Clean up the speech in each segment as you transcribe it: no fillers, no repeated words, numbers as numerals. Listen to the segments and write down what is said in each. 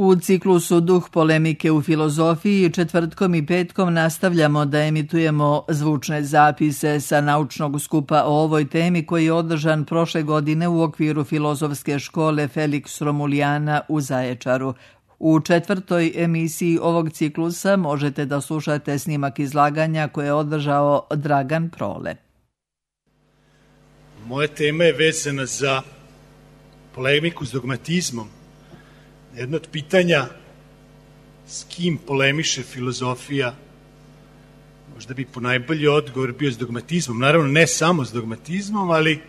U ciklusu Duh polemike u filozofiji četvrtkom i petkom nastavljamo da emitujemo zvučne zapise sa naučnog skupa o ovoj temi koji je održan prošle godine u okviru filozofske škole Felix Romulijana u Zaječaru. U četvrtoj emisiji ovog ciklusa možete da slušate snimak izlaganja koje je održao Dragan Prole. Moja tema je vezana za polemiku s dogmatizmom. Jedno od pitanja s kim polemiše filozofija, možda bi po najbolji odgovor bio s dogmatizmom. Naravno, ne samo s dogmatizmom, ali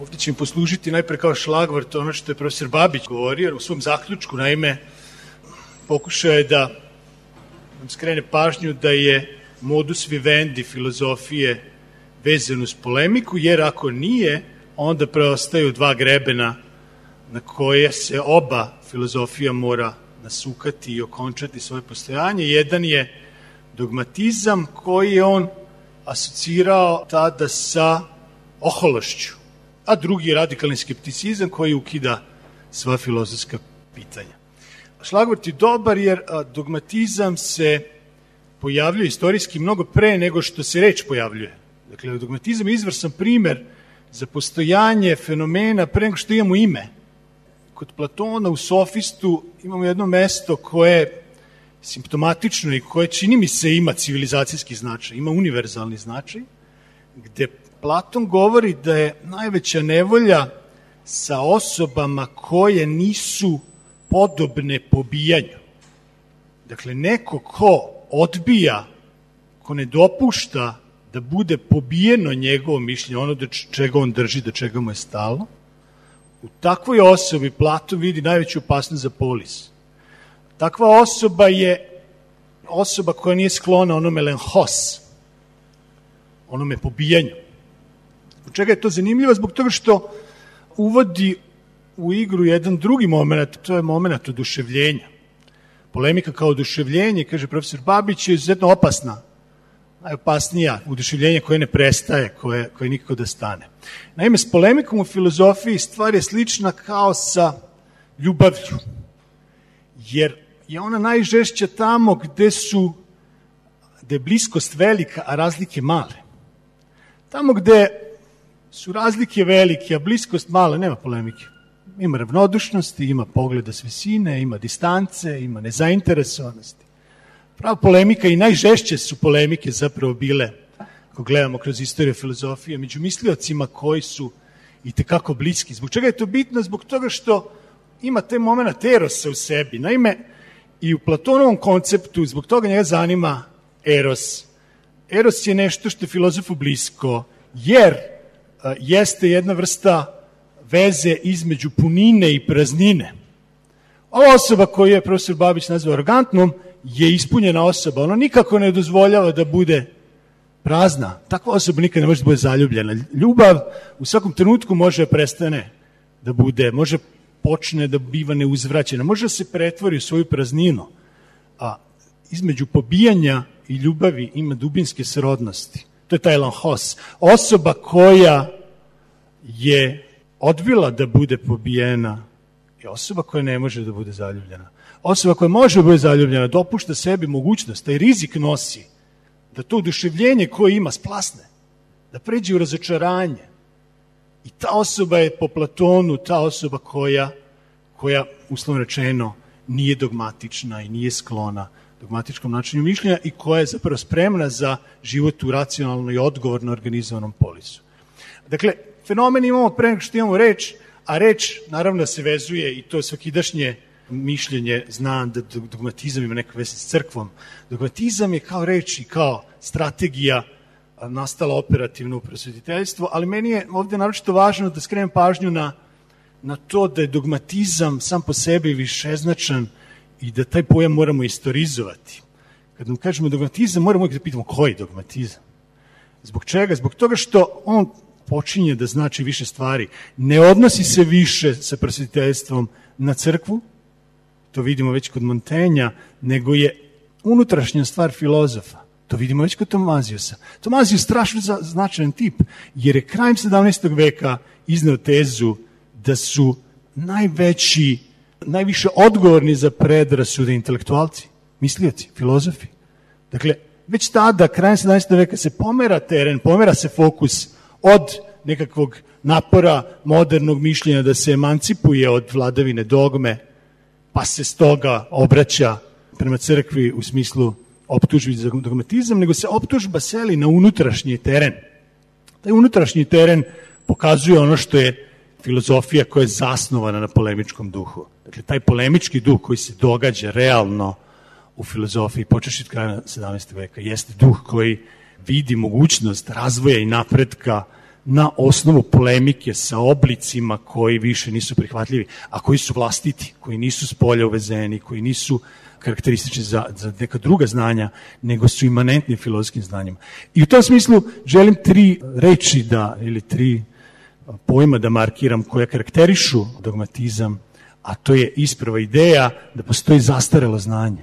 ovdje će mi poslužiti najpre kao šlagvort ono što je profesor Babić govorio u svom zaključku. Naime, pokušao je da nam skrene pažnju da je modus vivendi filozofije vezan uz polemiku, jer ako nije, onda preostaju dva grebena na koje se oba filozofija mora nasukati i okončati svoje postojanje. Jedan je dogmatizam koji je on asocirao tada sa ohološću, a drugi je radikalni skepticizam koji ukida sva filozofska pitanja. Šlagvort je dobar jer dogmatizam se pojavljuje istorijski mnogo pre nego što se reč pojavljuje. Dakle, dogmatizam je izvrstan primer za postojanje fenomena pre nego što imamo ime. Kod Platona u Sofistu imamo jedno mesto koje je simptomatično i koje čini mi se ima civilizacijski značaj, ima univerzalni značaj, gde Platon govori da je najveća nevolja sa osobama koje nisu podobne pobijanju. Dakle, neko ko odbija, ko ne dopušta da bude pobijeno njegovo mišljenje, ono do čega on drži, do čega mu je stalo, u takvoj osobi Platon vidi najveću opasnost za polis. Takva osoba je osoba koja nije sklona onome lenhos, onome pobijanju. Zbog čega je to zanimljivo? Zbog toga što uvodi u igru jedan drugi moment, to je moment oduševljenja. Polemika kao oduševljenje, kaže profesor Babić, je izuzetno opasna. Najopasnija oduševljenje koje ne prestaje, koje nikako da stane. Naime, s polemikom u filozofiji stvar je slična kao sa ljubavlju, jer je ona najžešća tamo gde je bliskost velika, a razlike male. Tamo gde su razlike velike, a bliskost mala, nema polemike. Ima ravnodušnosti, ima pogleda s visine, ima distance, ima nezainteresovanosti. Prava polemika i najžešće su polemike zapravo bile, ako gledamo kroz istoriju filozofije, među misliocima koji su i tekako bliski. Zbog čega je to bitno? Zbog toga što ima taj moment erosa u sebi. Naime, i u Platonovom konceptu, zbog toga njega zanima eros. Eros je nešto što je filozofu blisko, jer jeste jedna vrsta veze između punine i praznine. Ova osoba koju je profesor Babić nazvao arogantnom je ispunjena osoba. Ona nikako ne dozvoljava da bude prazna. Takva osoba nikad ne može da bude zaljubljena. Ljubav u svakom trenutku može prestane da bude, može počne da biva neuzvraćena, može da se pretvori u svoju prazninu. A između pobijanja i ljubavi ima dubinske srodnosti. To je taj lenhos. Osoba koja je odbila da bude pobijena je osoba koja ne može da bude zaljubljena. Osoba koja može da bude zaljubljena dopušta sebi mogućnost, taj rizik nosi, da to oduševljenje koje ima splasne, da pređe u razočaranje. I ta osoba je po Platonu ta osoba koja uslovno rečeno, nije dogmatična i nije sklona dogmatičkom načinu mišljenja i koja je zapravo spremna za život u racionalno i odgovorno organizovanom polisu. Dakle, fenomen imamo pre nego što imamo reč, a reč naravno se vezuje i to svakidašnje mišljenje zna da dogmatizam ima neka veze s crkvom. Dogmatizam je kao reč i kao strategija nastala operativno u prosvetiteljstvu, ali meni je ovdje naročito važno da skrenem pažnju na to da je dogmatizam sam po sebi višeznačan i da taj pojam moramo istorizovati. Kad nam kažemo dogmatizam, moramo uvijek da pitamo koji dogmatizam. Zbog čega? Zbog toga što on počinje da znači više stvari. Ne odnosi se više sa prosvetiteljstvom na crkvu, to vidimo već kod Montaigna, nego je unutrašnja stvar filozofa. To vidimo već kod Tomazijusa. Tomazijus je strašno značajan tip, jer je krajem 17. veka izneo tezu da su najveći najviše odgovorni za predrasude intelektualci, mislioci, filozofi. Dakle, već tada, krajem 17. veka, se pomera teren, pomera se fokus od nekakvog napora modernog mišljenja da se emancipuje od vladavine dogme, pa se stoga obraća prema crkvi u smislu optužbi za dogmatizam, nego se optužba seli na unutrašnji teren. Taj unutrašnji teren pokazuje ono što je filozofija koja je zasnovana na polemičkom duhu. Dakle, taj polemički duh koji se događa realno u filozofiji, počevši od kraja 17. veka, jeste duh koji vidi mogućnost razvoja i napretka na osnovu polemike sa oblicima koji više nisu prihvatljivi, a koji su vlastiti, koji nisu s polja uvezeni, koji nisu karakteristični za neka druga znanja, nego su imanentni filozofskim znanjima. I u tom smislu želim 3 reči ili 3 pojma da markiram koje karakterišu dogmatizam, a to je isprva ideja da postoji zastarelo znanje.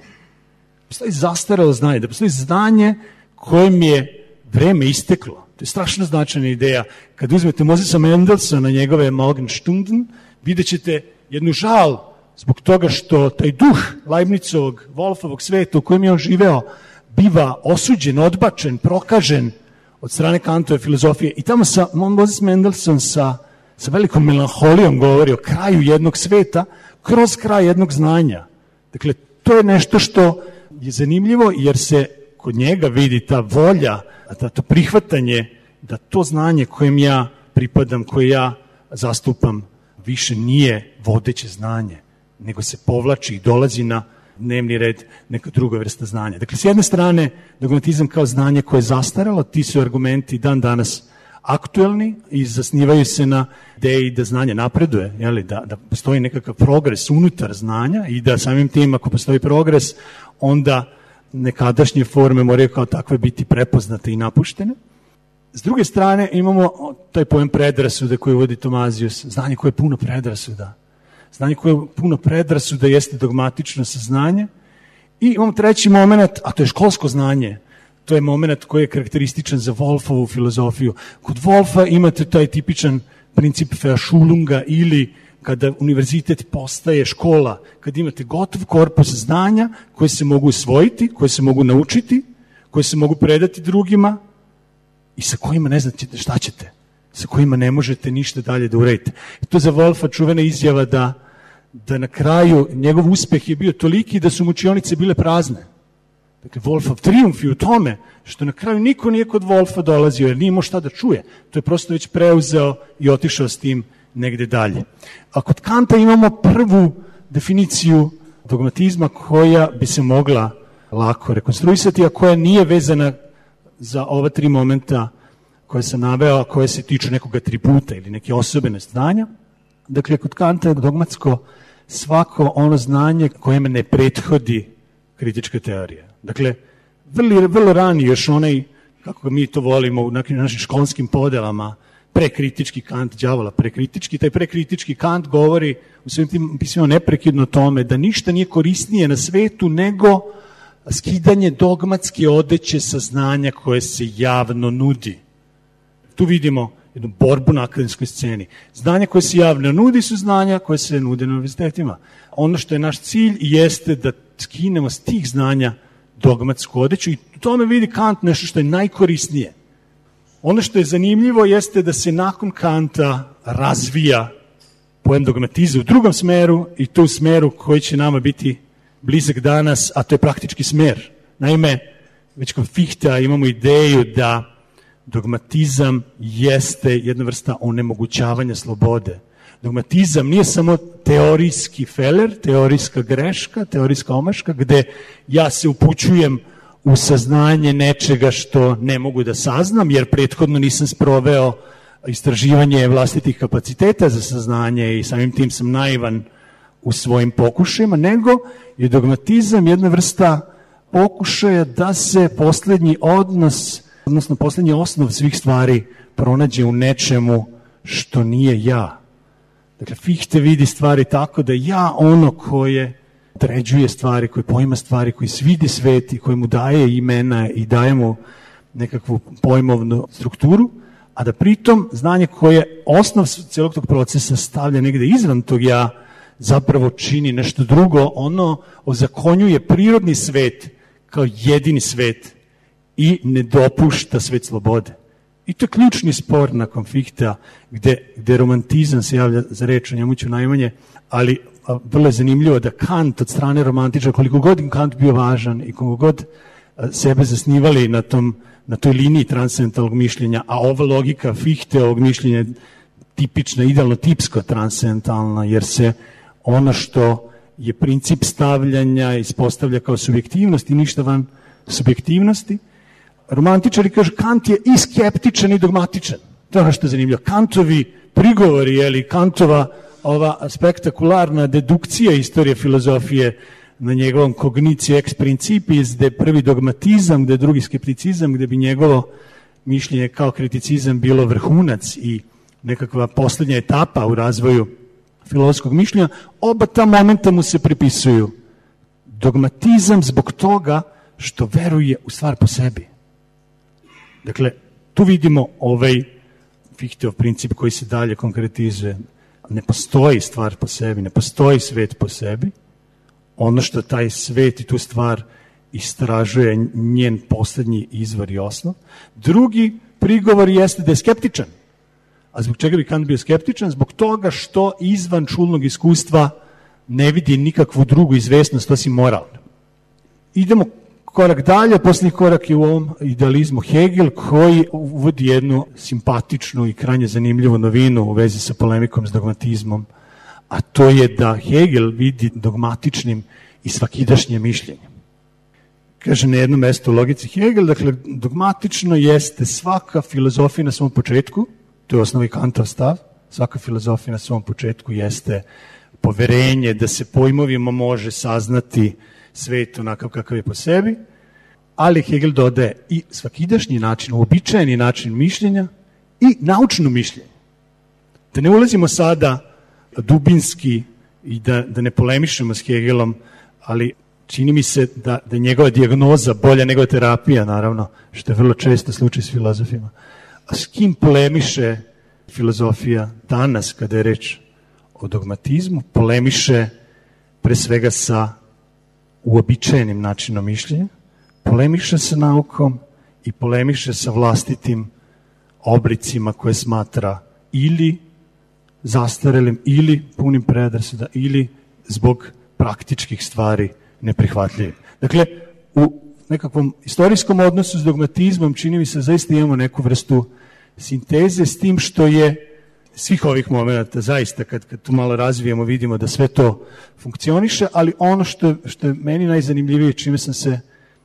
Postoji zastarelo znanje, da postoji znanje kojem je vreme isteklo. To je strašno značajna ideja. Kad uzmete Mosesa Mendelssohna, njegove Morgenstunden, vidjet ćete jednu žal zbog toga što taj duh Leibnizovog, Wolfovog sveta u kojem je on živeo biva osuđen, odbačen, prokažen od strane Kantove filozofije. I tamo Moses Mendelssohn sa velikom melanholijom govori o kraju jednog sveta kroz kraj jednog znanja. Dakle, to je nešto što je zanimljivo jer se kod njega vidi ta volja, to prihvatanje da to znanje kojem ja pripadam, koje ja zastupam, više nije vodeće znanje, nego se povlači i dolazi na dnevni red neka druga vrsta znanja. Dakle, s jedne strane, dogmatizam kao znanje koje je zastarelo, ti su argumenti dan danas aktuelni i zasnivaju se na ideji da znanje napreduje, da postoji nekakav progres unutar znanja i da samim tim, ako postoji progres, onda nekadašnje forme moraju kao takve biti prepoznate i napuštene. S druge strane, imamo taj pojem predrasude koji uvodi Tomazijus, znanje koje je puno predrasuda. Znanje koje je puno predrasuda jeste dogmatično saznanje. I imamo treći moment, a to je školsko znanje. To je moment koji je karakterističan za Wolfovu filozofiju. Kod Wolfa imate taj tipičan princip Verschulunga ili kada univerzitet postaje škola, kada imate gotov korpus znanja koje se mogu usvojiti, koje se mogu naučiti, koje se mogu predati drugima i sa kojima ne znate šta ćete, sa kojima ne možete ništa dalje da uradite. I to za Wolfa čuvena izjava da na kraju njegov uspeh je bio toliki da su mu učionice bile prazne. Dakle, Wolfov trijumf je u tome što na kraju niko nije kod Wolfa dolazio jer nije imao šta da čuje. To je prosto već preuzeo i otišao s tim negde dalje. A kod Kanta imamo prvu definiciju dogmatizma koja bi se mogla lako rekonstruisati, a koja nije vezana za ova 3 momenta koje sam naveo, a koje se tiču nekog atributa ili neke osobene znanja. Dakle, kod Kanta je dogmatsko svako ono znanje kojem ne prethodi kritička teorija. Dakle, vrlo rani još onaj, kako mi to volimo u našim školskim podelama, prekritički Kant, đavola prekritički. Taj prekritički Kant govori u svim tim pismima neprekidno o tome da ništa nije korisnije na svetu nego skidanje dogmatske odeće saznanja koje se javno nudi. Tu vidimo jednu borbu na akademskoj sceni. Znanja koje se javno nudi su znanja koje se nude na univerzitetima. Ono što je naš cilj jeste da skinemo s tih znanja dogmatsku odeću i u tome vidi Kant nešto što je najkorisnije. Ono što je zanimljivo jeste da se nakon Kanta razvija pojem dogmatizma u drugom smeru i to u smeru koji će nama biti blizak danas, a to je praktički smer. Naime, već kod Fichtea imamo ideju da dogmatizam jeste jedna vrsta onemogućavanja slobode. Dogmatizam nije samo teorijski feler, teorijska greška, teorijska omaška, gde ja se upućujem u saznanje nečega što ne mogu da saznam, jer prethodno nisam sproveo istraživanje vlastitih kapaciteta za saznanje i samim tim sam naivan u svojim pokušajima, nego je dogmatizam jedna vrsta pokušaja da se poslednji odnos, odnosno poslednji osnov svih stvari pronađe u nečemu što nije ja. Dakle, Fichte vidi stvari tako da ja ono koje određuje stvari, koje poima stvari, koji svidi svet i koji mu daje imena i daje mu nekakvu pojmovnu strukturu, a da pritom znanje koje osnov celog tog procesa stavlja negde izvan tog ja, zapravo čini nešto drugo, ono ozakonjuje prirodni svet kao jedini svet i ne dopušta svet slobode. I to je ključni spor nakon Fichtea, gde romantizam se javlja za reč, o njemu ću najmanje, ali vrlo je zanimljivo da Kant od strane romantičara, koliko god im Kant bio važan i koliko god sebe zasnivali na toj liniji transcendentalnog mišljenja, a ova logika Fichteovog mišljenja je tipična, idealno tipsko transcendentalna, jer se ono što je princip stavljanja ispostavlja kao subjektivnost i ništa van subjektivnosti. Romantičari kažu Kant je i skeptičan i dogmatičan. To je ono što je zanimljivo. Kantovi prigovori, Kantova ova spektakularna dedukcija istorije filozofije na njegovom kognicije ex principis, gde je prvi dogmatizam, gde je drugi skepticizam, gde bi njegovo mišljenje kao kriticizam bilo vrhunac i nekakva poslednja etapa u razvoju filozofskog mišljenja, oba ta momenta mu se pripisuju. Dogmatizam zbog toga što veruje u stvar po sebi. Dakle, tu vidimo ovaj Fichteov princip koji se dalje konkretizuje. Ne postoji stvar po sebi, ne postoji svet po sebi. Ono što taj svet i tu stvar istražuje njen poslednji izvor i osnov. Drugi prigovor jeste da je skeptičan. A zbog čega bi Kant bio skeptičan? Zbog toga što izvan čulnog iskustva ne vidi nikakvu drugu izvesnost osim moralne. Idemo korak dalje, posljednji korak je u ovom idealizmu Hegel, koji uvodi jednu simpatičnu i krajnje zanimljivu novinu u vezi sa polemikom s dogmatizmom, a to je da Hegel vidi dogmatičnim i svakidašnje mišljenje. Kaže na jednom mestu u logici Hegel, dakle, dogmatično jeste svaka filozofija na svom početku, to je osnovi Kantov stav, svaka filozofija na svom početku jeste poverenje da se pojmovima može saznati svet onakav kakav je po sebi, ali Hegel dodaje i svakidašnji način, uobičajeni način mišljenja i naučno mišljenje. Da ne ulazimo sada dubinski i da ne polemišemo s Hegelom, ali čini mi se da je njegova dijagnoza bolja nego terapija, naravno, što je vrlo često slučaj s filozofima. A s kim polemiše filozofija danas kada je reč o dogmatizmu? Polemiše pre svega sa uobičajenim načinom mišljenja, polemiše sa naukom i polemiše sa vlastitim obricima koje smatra ili zastarelim, ili punim predrasuda, ili zbog praktičkih stvari neprihvatljivim. Dakle, u nekakvom istorijskom odnosu s dogmatizmom čini mi se zaista imamo neku vrstu sinteze s tim što je svih ovih momenta, zaista kad tu malo razvijemo vidimo da sve to funkcioniše, ali ono što je meni najzanimljivije, čime sam se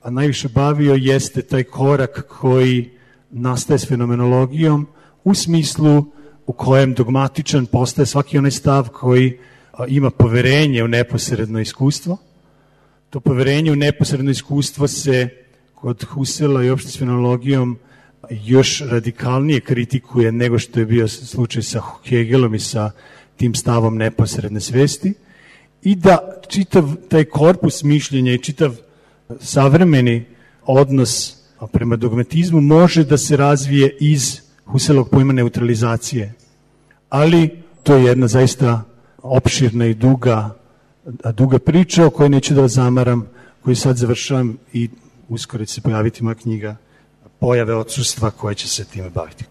najviše bavio, jeste taj korak koji nastaje s fenomenologijom u smislu u kojem dogmatičan postaje svaki onaj stav koji ima poverenje u neposredno iskustvo. To poverenje u neposredno iskustvo se kod Husserla i uopšte s fenomenologijom još radikalnije kritikuje nego što je bio slučaj sa Hegelom i sa tim stavom neposredne svesti i da čitav taj korpus mišljenja i čitav savremeni odnos prema dogmatizmu može da se razvije iz Husserlovog pojma neutralizacije. Ali to je jedna zaista opširna i duga priča o kojoj neću da vas zamaram, koju sad završavam i uskoro će se pojaviti moja knjiga Pojave odsustva koje će se time baviti.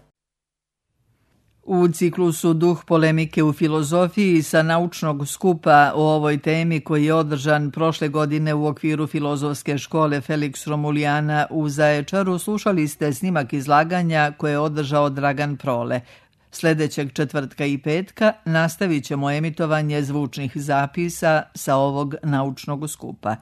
U ciklusu Duh polemike u filozofiji sa naučnog skupa o ovoj temi koji je održan prošle godine u okviru filozofske škole Felix Romulijana u Zaječaru, slušali ste snimak izlaganja koje je održao Dragan Prole. Sljedećeg četvrtka i petka nastavit ćemo emitovanje zvučnih zapisa sa ovog naučnog skupa.